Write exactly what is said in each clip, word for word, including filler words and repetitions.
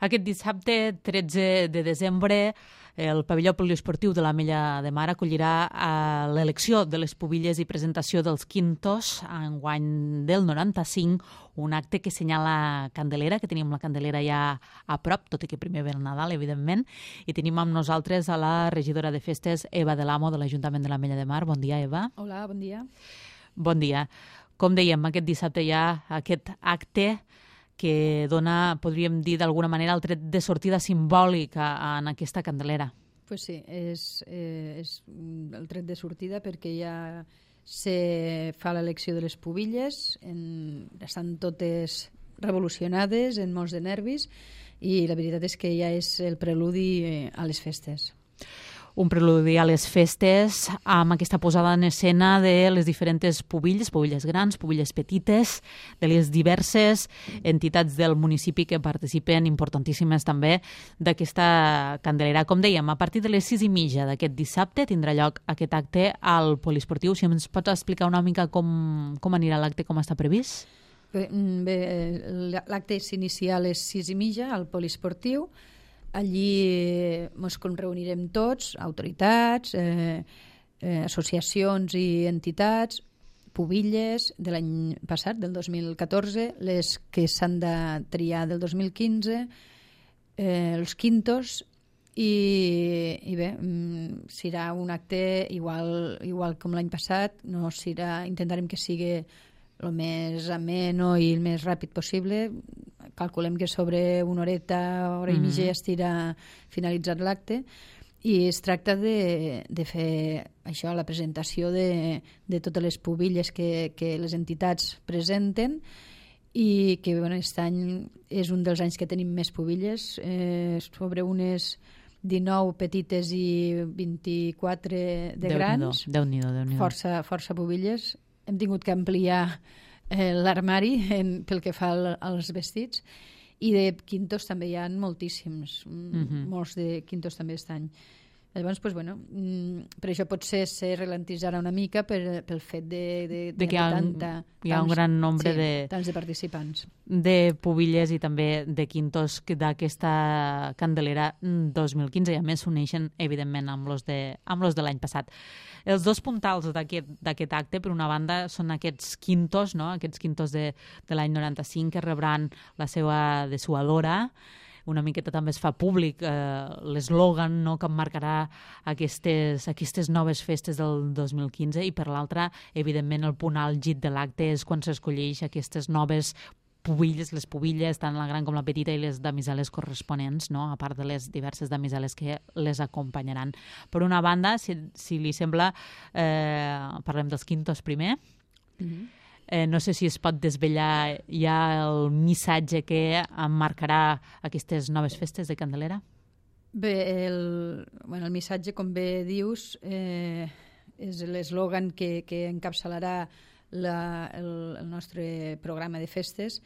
Aquest dissabte, tretze de desembre, el pavelló poliesportiu de l'Ametlla de Mar acollirà l'elecció de les pubilles i presentació dels quintos enguany del noranta-cinc, un acte que senyala Candelera, que tenim la Candelera ja a prop, tot i que primer ve el Nadal, evidentment, i tenim amb nosaltres a la regidora de festes, Eva de l'Amo, de l'Ajuntament de l'Ametlla de Mar. Bon dia, Eva. Hola, bon dia. Bon dia. Com dèiem, aquest dissabte hi ha aquest acte que dona, podríem dir d'alguna manera, el tret de sortida simbòlic en aquesta Candelera. Pues sí, és, eh, és el tret de sortida perquè ja se fa l'elecció de les pubilles, en, estan totes revolucionades, en molts de nervis, i la veritat és que ja és el preludi a les festes. Un preludi a les festes amb aquesta posada en escena de les diferents pubilles, pubilles grans, pubilles petites, de les diverses entitats del municipi que participen, importantíssimes també, d'aquesta Candelera. Com dèiem, a partir de les sis i mitja d'aquest dissabte tindrà lloc aquest acte al poliesportiu. Si ens pots explicar una mica com, com anirà l'acte, com està previst? Bé, bé l'acte s'inicia a les sis i mitja al poliesportiu. Allí ens reunirem tots, autoritats, eh, eh, associacions i entitats, pubilles de l'any passat, del dos mil catorze, les que s'han de triar del dos mil quinze, eh, els quintos, i, i bé, serà un acte igual, igual com l'any passat. No serà, intentarem que sigui el més ameno i el més ràpid possible. Calculem que sobre una horeta, hora i mitja, ja estirà finalitzat l'acte, i es tracta de, de fer això, la presentació de, de totes les pubilles que, que les entitats presenten, i que bueno, aquest any és un dels anys que tenim més pubilles, eh, sobre unes dinou petites i vint-i-quatre de grans. Déu-n'hi-do, Déu-n'hi-do. Força, força pubilles. Hem tingut que ampliar eh, l'armari pel que fa al, als vestits, i de quintos també hi ha moltíssims, uh-huh. molts de quintos també aquest any. Llavors, pues, bueno, per això potser se ralentitzarà una mica per, pel fet de, de, de, de que hi ha, tanta, hi ha tants, un gran nombre sí, de, tants de participants. De pubilles i també de quintos d'aquesta Candelera dos mil quinze, i a més s'uneixen, evidentment, amb los de, amb los de l'any passat. Els dos puntals d'aquest acte, per una banda, són aquests quintos, no? Aquests quintos de, de l'any noranta-cinc, que rebran la seva dessuadora. Una miqueta també es fa públic eh, l'eslògan, no?, que marcarà aquestes, aquestes noves festes del dos mil quinze, i per l'altra, evidentment, el punt àlgid de l'acte és quan s'escolleix aquestes noves pubilles, les pubilles, tant la gran com la petita, i les damiseles corresponents, no?, a part de les diverses damiseles que les acompanyaran. Per una banda, si, si li sembla, eh, parlem dels quintos primer. Mm-hmm. Eh, no sé si es pot desvetllar ja el missatge que emmarcarà aquestes noves festes de Candelera. Bé, el, bueno, el missatge, com bé dius, eh, és l'eslògan que, que encapçalarà la, el, el nostre programa de festes.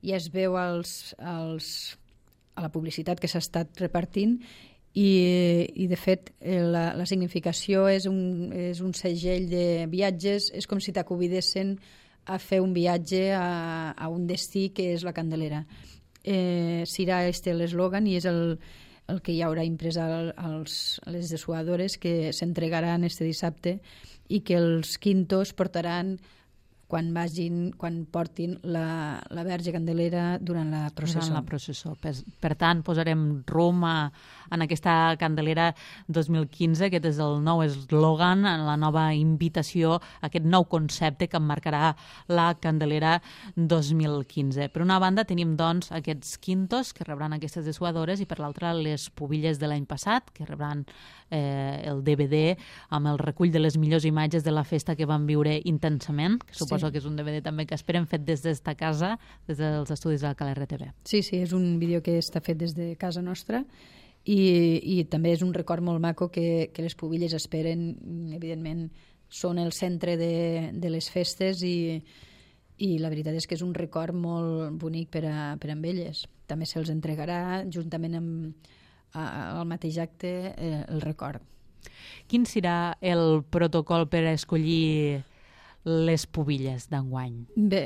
Ja es veu als, als, a la publicitat que s'ha estat repartint, i, i de fet la, la significació és un, és un segell de viatges, és com si t'aconvidessin a fer un viatge a, a un destí que és la Candelera. Eh, serà este l'eslògan, i és el, el que hi haurà imprès al, als, a les dessuadores, que s'entregaran este dissabte, i que els quintos portaran quan vagin, quan portin la, la Verge Candelera durant la processó. Durant la processó. Per, per tant, posarem rumb a, en aquesta Candelera dos mil quinze, aquest és el nou eslògan, la nova invitació, aquest nou concepte que emmarcarà la Candelera dos mil quinze. Per una banda tenim, doncs, aquests quintos que rebran aquestes dessuadores, i per l'altra les pubilles de l'any passat, que rebran eh, el D V D amb el recull de les millors imatges de la festa que van viure intensament, que suposo sí. que és un D V D també que esperem fet des d'esta casa, des dels estudis de la K L R T V. Sí, sí, és un vídeo que està fet des de casa nostra, i, i també és un record molt maco que, que les pubilles esperen. Evidentment són el centre de, de les festes, i, i la veritat és que és un record molt bonic per a, per a elles. També se'ls entregarà juntament amb a, al mateix acte eh, el record. Quin serà el protocol per escollir les pubilles d'enguany? Bé,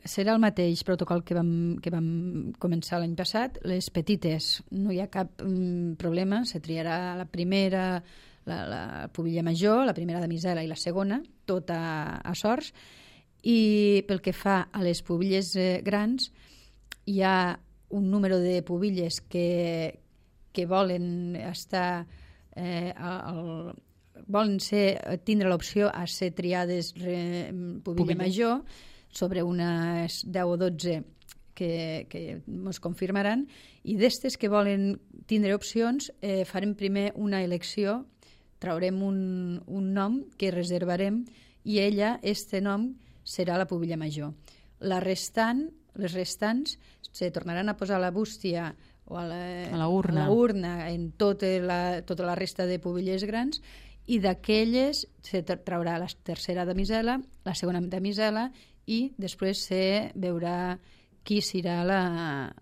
serà el mateix protocol que vam, que vam començar l'any passat. Les petites no hi ha cap um, problema, se triarà la primera, la, la pubilla major, la primera damisela i la segona, tot a, a sorts. I pel que fa a les pubilles eh, grans, hi ha un número de pubilles que, que volen estar eh, al, volen ser, tindre l'opció a ser triades re, pubilla major sobre unes deu o dotze que, que ens confirmaran, i d'estes que volen tindre opcions eh, farem primer una elecció, traurem un, un nom que reservarem i ella, este nom, serà la pubilla major. La restant, les restants se tornaran a posar a la bústia o a la, a la urna, a la urna en tota la, tota la resta de pubilles grans, i d'aquelles se traurà la tercera damisela, la segona damisela, i després se veurà qui serà la,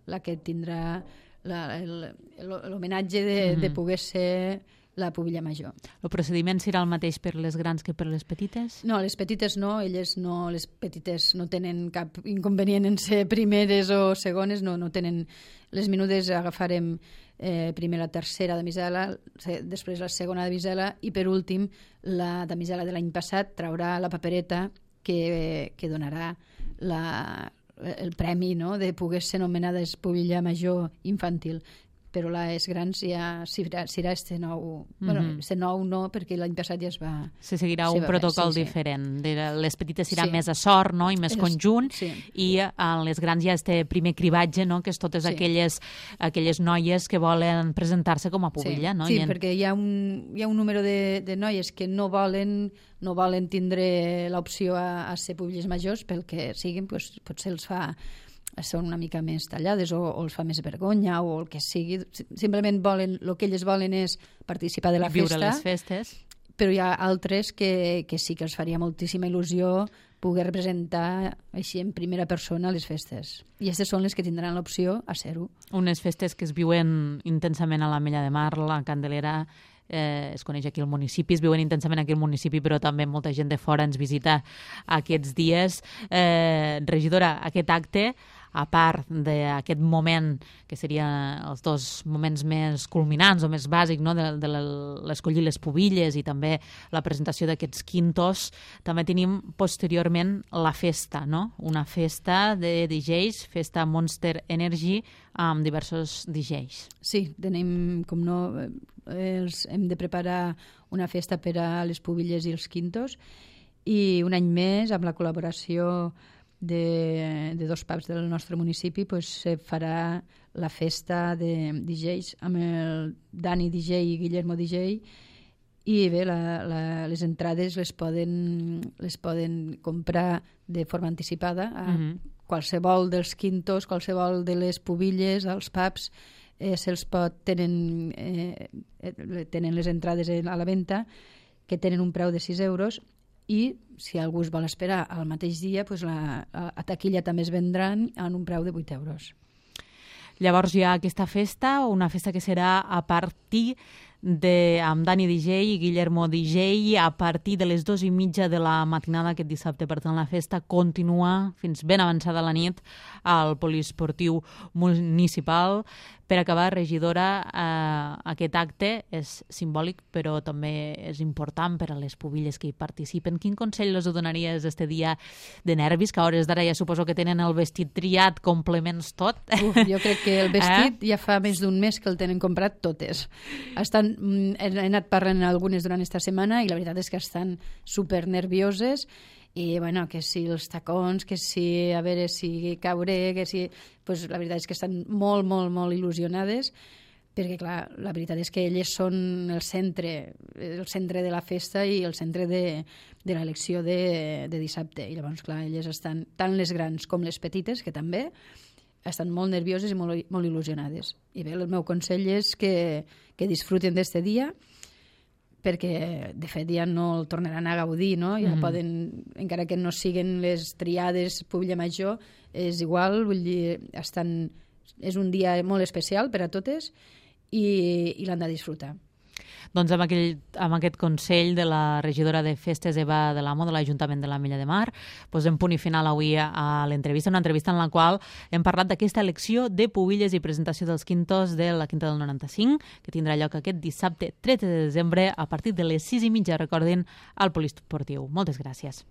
la que tindrà l'homenatge de, mm-hmm. de poder ser la pubilla major. El procediment serà el mateix per les grans que per les petites? No, les petites no, elles no, les petites no tenen cap inconvenient en ser primeres o segones, no, no tenen. Les menudes agafarem eh, primer la tercera damisela, després la segona damisela, i per últim la damisela de l'any passat traurà la papereta que, que donarà la, el premi, no?, de poder ser nomenada pubilla major infantil. Però les grans ja serà, serà este nou. Mm-hmm. Bueno, este nou no, perquè l'any passat ja es va... Se seguirà un protocol sí, diferent. Sí. Les petites serà sí. més a sort, no?, i més es, conjunt, sí. i en les grans ja este primer cribatge, no?, que és totes sí. aquelles, aquelles noies que volen presentar-se com a pubilla. Sí, no? sí en... perquè hi ha un, hi ha un número de, de noies que no volen, no volen tindre l'opció a, a ser pubilles majors, pel que siguin, pues, potser els fa... són una mica més tallades o, o els fa més vergonya o el que sigui. Simplement volen, el que elles volen és participar de la viure festa. les festes. Però hi ha altres que, que sí que els faria moltíssima il·lusió poder representar així en primera persona les festes. I aquestes són les que tindran l'opció a ser-ho. Unes festes que es viuen intensament a l'Ametlla de Mar, la Candelera, eh, es coneix aquí al municipi, es viuen intensament aquí al municipi, però també molta gent de fora ens visita aquests dies. Eh, regidora, aquest acte, a part d'aquest moment, que serien els dos moments més culminants o més bàsics, no?, de, de l'escollir les pubilles i també la presentació d'aquests quintos, també tenim posteriorment la festa, no?, una festa de D Js, festa Monster Energy, amb diversos D Js. Sí, tenim, com no, els, hem de preparar una festa per a les pubilles i els quintos, i un any més, amb la col·laboració de, de dos pubs del nostre municipi, pues, se farà la festa de D Js amb el Dani D J i Guillermo D J, i bé, la, la, les entrades les poden, les poden comprar de forma anticipada a mm-hmm. qualsevol dels quintos, qualsevol de les pubilles, als pubs, eh, se'ls pot, tenen, eh, tenen les entrades a la venda, que tenen un preu de sis euros, i si algú es vol esperar al mateix dia, pues la, a taquilla també es vendran en un preu de vuit euros. Llavors hi ha aquesta festa, una festa que serà a partir de, amb Dani D J i Guillermo D J, a partir de les dues i mitja de la matinada aquest dissabte. Per tant, la festa continua fins ben avançada la nit al poliesportiu municipal. Per acabar, regidora, eh, aquest acte és simbòlic, però també és important per a les pubilles que hi participen. Quin consell els donaries este dia de nervis, que a hores d'ara ja suposo que tenen el vestit triat, complements tot? Uf, jo crec que el vestit eh? ja fa més d'un mes que el tenen comprat totes. Estan, he anat parlant algunes durant esta setmana i la veritat és que estan super nervioses. I, bueno, que si els tacons, que si, a veure si cauré, que si... Pues la veritat és que estan molt, molt, molt il·lusionades, perquè, clar, la veritat és que elles són el centre, el centre de la festa i el centre de, de l'elecció de, de dissabte. I llavors, clar, elles estan, tant les grans com les petites, que també, estan molt nervioses i molt, molt il·lusionades. I bé, el meu consell és que, que disfruten d'este dia, perquè de fet ja no el tornaran a gaudir, no? Ja mm. poden, encara que no siguen les triades pubilla major, és igual, vull dir, estan, és un dia molt especial per a totes i, i l'han de disfrutar. Doncs amb, aquell, amb aquest consell de la regidora de Festes Eva de l'Amo de l'Ajuntament de l'Ametlla de Mar, posem punt i final avui a l'entrevista, una entrevista en la qual hem parlat d'aquesta elecció de pubilles i presentació dels quintos de la Quinta del noranta-cinc, que tindrà lloc aquest dissabte tretze de desembre a partir de les sis i mitja, recordin, al Poliesportiu. Moltes gràcies.